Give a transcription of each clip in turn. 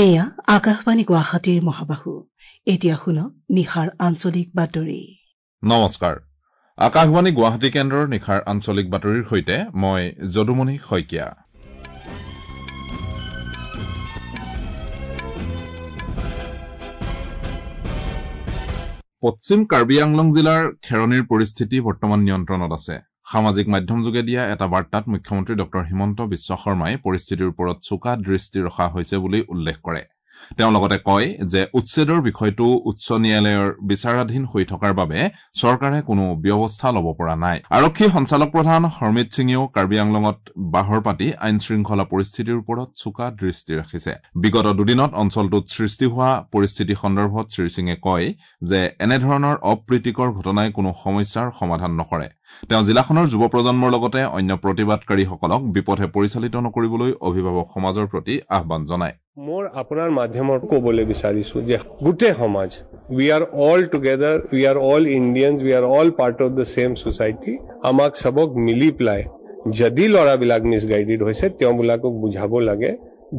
এয়া আকাশবাণী গুৱাহাটীৰ মহাবাহু। এতিয়া শুনক নিশাৰ আঞ্চলিক বাতৰি। নমস্কাৰ, আকাশবাণী গুৱাহাটী কেন্দ্ৰৰ নিশাৰ আঞ্চলিক বাতৰিৰ সৈতে মই যদুমণি শইকীয়া। পশ্চিম কাৰ্বি আংলং জিলাৰ খেৰণিৰ পৰিস্থিতি বৰ্তমান নিয়ন্ত্ৰণত আছে। সামাজিক মাধ্যমযোগে দিয়া এটা বাৰ্তাত মুখ্যমন্ত্ৰী ডঃ হিমন্ত বিশ্ব শৰ্মাই পৰিস্থিতিৰ ওপৰত চোকা দৃষ্টি ৰখা হৈছে বুলি উল্লেখ কৰে। তেওঁ লগতে কয় যে উচ্ছেদৰ বিষয়টো উচ্চ ন্যায়ালয়ৰ বিচাৰাধীন হৈ থকাৰ বাবে চৰকাৰে কোনো ব্যৱস্থা ল'ব পৰা নাই। আৰক্ষী সঞ্চালকপ্ৰধান হৰমিত সিঙেও কাৰ্বি আংলঙত বাহৰ পাতি আইন শৃংখলা পৰিস্থিতিৰ ওপৰত চোকা দৃষ্টি ৰাখিছে। বিগত দুদিনত অঞ্চলটোত সৃষ্টি হোৱা পৰিস্থিতি সন্দৰ্ভত শ্ৰীসিঙে কয় যে এনেধৰণৰ অপ্ৰীতিকৰ ঘটনাই কোনো সমস্যাৰ সমাধান নকৰে। তেওঁ জিলাখনৰ যুৱ প্ৰজন্মৰ লগতে অন্য প্ৰতিবাদকাৰীসকলক বিপথে পৰিচালিত নকৰিবলৈ অভিভাৱক সমাজৰ প্ৰতি আহ্বান জনায়। মোৰ আপোনাৰ মাধ্যমত ক'বলৈ বিচাৰিছো যে গোটেই সমাজ, we are all together, we are all Indians, we are all part of the same society. আমাক চবক মিলি পেলাই যদি ল'ৰাবিলাক মিছগাইডেড হৈছে তেওঁবিলাকক বুজাব লাগে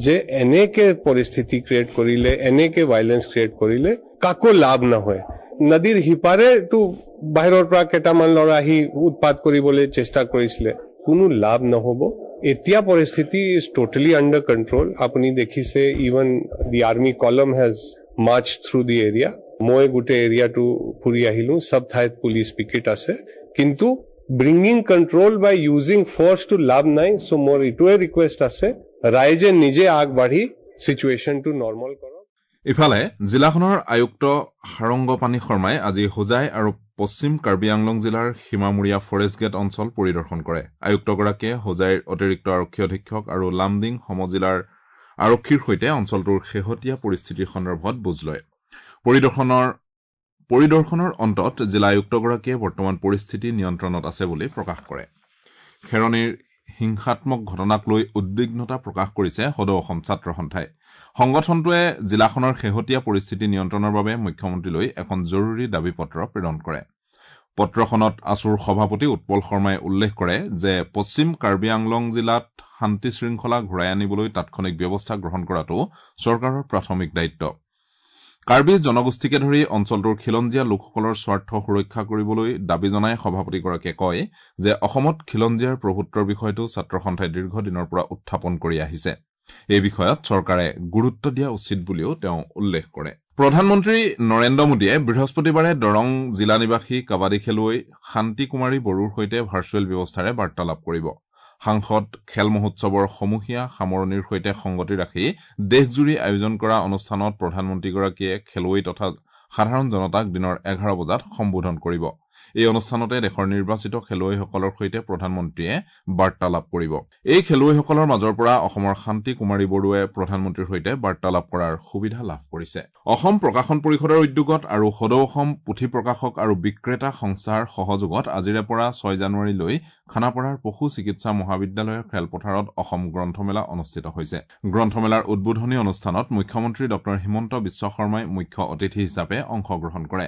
যে এনেকে পৰিস্থিতি ক্ৰিয়েট কৰিলে, এনেকে ভাইলেন্স ক্ৰিয়েট কৰিলে কাকো লাভ নহয়। নদীৰ সিপাৰেতো বাহিৰৰ পৰা কেইটামান ল'ৰা আহি উৎপাত কৰিবলৈ চেষ্টা কৰিছিলে, কোনো লাভ নহ'ব। এতিয়া পৰিস্থিতি is totally under control. আপুনি দেখিছে even the army column has march through the area. মই গোটেই এৰিয়াটো ফুৰি আহিলো, চব ঠাইত পুলিচ পিকেট আছে। কিন্তু ব্ৰিঙিং কণ্ট্ৰল বাই ইউজিং ফৰ্চটো লাভ নাই। চ' মোৰ এইটোৱে ৰিকুৱেষ্ট আছে, ৰাইজে নিজে আগবাঢ়ি চিটুৱেশ্যনটো নৰ্মেল কৰক। ইফালে জিলাখনৰ আয়ুক্ত সাৰংগপাণি শৰ্মাই আজি হোজাই আৰু পশ্চিম কাৰ্বি আংলং জিলাৰ সীমামূৰীয়া ফৰেষ্ট গেট অঞ্চল পৰিদৰ্শন কৰে। আয়ুক্তগৰাকীয়ে হোজাইৰ অতিৰিক্ত আৰক্ষী অধীক্ষক আৰু লামডিং সমজিলাৰ আৰক্ষীৰ সৈতে অঞ্চলটোৰ শেহতীয়া পৰিস্থিতিৰ সন্দৰ্ভত বুজ লয়। পৰিদৰ্শনৰ অন্তত জিলা আয়ুক্তগৰাকীয়ে বৰ্তমান পৰিস্থিতি নিয়ন্ত্ৰণত আছে বুলি প্ৰকাশ কৰে। খেৰণিৰ হিংসাত্মক ঘটনাক লৈ উদ্বিগ্নতা প্ৰকাশ কৰিছে সদৌ অসম ছাত্ৰ সন্থাই। সংগঠনটোৱে জিলাখনৰ শেহতীয়া পৰিস্থিতি নিয়ন্ত্ৰণৰ বাবে মুখ্যমন্ত্ৰীলৈ এখন জৰুৰী দাবী পত্ৰ প্ৰেৰণ কৰে। পত্ৰখনত আছুৰ সভাপতি উৎপল শৰ্মাই উল্লেখ কৰে যে পশ্চিম কাৰ্বি আংলং জিলাত শান্তি শৃংখলা ঘূৰাই আনিবলৈ তাৎক্ষণিক ব্যৱস্থা গ্ৰহণ কৰাটো চৰকাৰৰ প্ৰাথমিক দায়িত্ব। কাৰ্বি জনগোষ্ঠীকে ধৰি অঞ্চলটোৰ খিলঞ্জীয়া লোকসকলৰ স্বাৰ্থ সুৰক্ষা কৰিবলৈ দাবী জনাই সভাপতিগৰাকীয়ে কয় যে অসমত খিলঞ্জীয়াৰ প্ৰভুত্বৰ বিষয়টো ছাত্ৰ সন্থাই দীৰ্ঘদিনৰ পৰা উত্থাপন কৰি আহিছে। এই বিষয়ত চৰকাৰে গুৰুত্ব দিয়া উচিত বুলিও তেওঁ উল্লেখ কৰে। প্ৰধানমন্ত্ৰী নৰেন্দ্ৰ মোদীয়ে বৃহস্পতিবাৰে দৰং জিলা নিবাসী কাবাডী খেলুৱৈ শান্তি কুমাৰী বড়োৰ সৈতে ভাৰ্চুৱেল ব্যৱস্থাৰে বাৰ্তালাপ কৰিব। সাংসদ খেল মহোৎসৱৰ সমূহীয়া সামৰণিৰ সৈতে সংগতি ৰাখি দেশজুৰি আয়োজন কৰা অনুষ্ঠানত প্ৰধানমন্ত্ৰীগৰাকীয়ে খেলুৱৈ তথা সাধাৰণ জনতাক দিনৰ 11 বজাত সম্বোধন কৰিব। এই অনুষ্ঠানতে দেশৰ নিৰ্বাচিত খেলুৱৈসকলৰ সৈতে প্ৰধানমন্ত্ৰীয়ে বাৰ্তালাপ কৰিব। এই খেলুৱৈসকলৰ মাজৰ পৰা অসমৰ শান্তি কুমাৰী বড়োৱে প্ৰধানমন্ত্ৰীৰ সৈতে বাৰ্তালাপ কৰাৰ সুবিধা লাভ কৰিছে। অসম প্ৰকাশন পৰিষদৰ উদ্যোগত আৰু সদৌ অসম পুথি প্ৰকাশক আৰু বিক্ৰেতা সংস্থাৰ সহযোগত আজিৰে পৰা 6 জানুৱাৰীলৈ খানাপাৰাৰ পশু চিকিৎসা মহাবিদ্যালয়ৰ খেলপথাৰত অসম গ্ৰন্থমেলা অনুষ্ঠিত হৈছে। গ্ৰন্থমেলাৰ উদ্বোধনী অনুষ্ঠানত মুখ্যমন্ত্ৰী ডঃ হিমন্ত বিশ্ব শৰ্মাই মুখ্য অতিথি হিচাপে অংশগ্ৰহণ কৰে।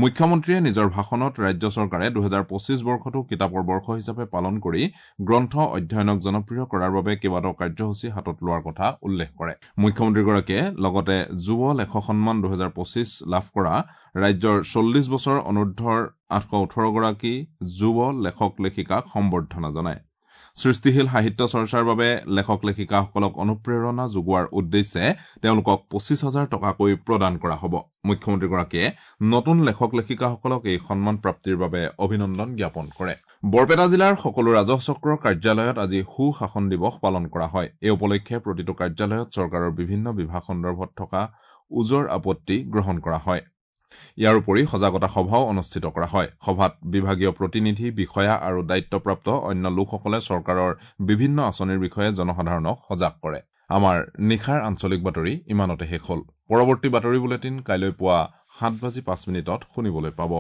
মুখ্যমন্ত্ৰীয়ে নিজৰ ভাষণত ৰাজ্য চৰকাৰে 2025 বৰ্ষটো কিতাপৰ বৰ্ষ হিচাপে পালন কৰি গ্ৰন্থ অধ্যয়নক জনপ্ৰিয় কৰাৰ বাবে কেইবাটাও কাৰ্যসূচী হাতত লোৱাৰ কথা উল্লেখ কৰে। মুখ্যমন্ত্ৰীগৰাকীয়ে লগতে যুৱ লেখক সন্মান 2025 লাভ কৰা ৰাজ্যৰ 40 বছৰ অনুৰ্ধৰ 818গৰাকী যুৱ লেখক লেখিকাক সম্বৰ্ধনা জনায়। সৃষ্টিশীল সাহিত্য চৰ্চাৰ বাবে লেখক লেখিকাসকলক অনুপ্ৰেৰণা যোগোৱাৰ উদ্দেশ্যে তেওঁলোকক 25,000 টকাকৈ প্ৰদান কৰা হ'ব। মুখ্যমন্ত্ৰীগৰাকীয়ে নতুন লেখক লেখিকাসকলক এই সন্মান প্ৰাপ্তিৰ বাবে অভিনন্দন জ্ঞাপন কৰে। বৰপেটা জিলাৰ সকলো ৰাজহ চক্ৰৰ কাৰ্যালয়ত আজি সুশাসন দিৱস পালন কৰা হয়। এই উপলক্ষে প্ৰতিটো কাৰ্যালয়ত চৰকাৰৰ বিভিন্ন বিভাগ সন্দৰ্ভত থকা ওজৰ আপত্তি গ্ৰহণ কৰা হয়। ইয়াৰ উপৰি সজাগতা সভাও অনুষ্ঠিত কৰা হয়। সভাত বিভাগীয় প্ৰতিনিধি, বিষয়া আৰু দায়িত্বপ্ৰাপ্ত অন্য লোকসকলে চৰকাৰৰ বিভিন্ন আঁচনিৰ বিষয়ে জনসাধাৰণক সজাগ কৰে। আমাৰ নিশাৰ আঞ্চলিক বাতৰি ইমানতে শেষ হ'ল। পৰৱৰ্তী বাতৰি বুলেটিন কাইলৈ পুৱা 7:05 শুনিবলৈ পাব।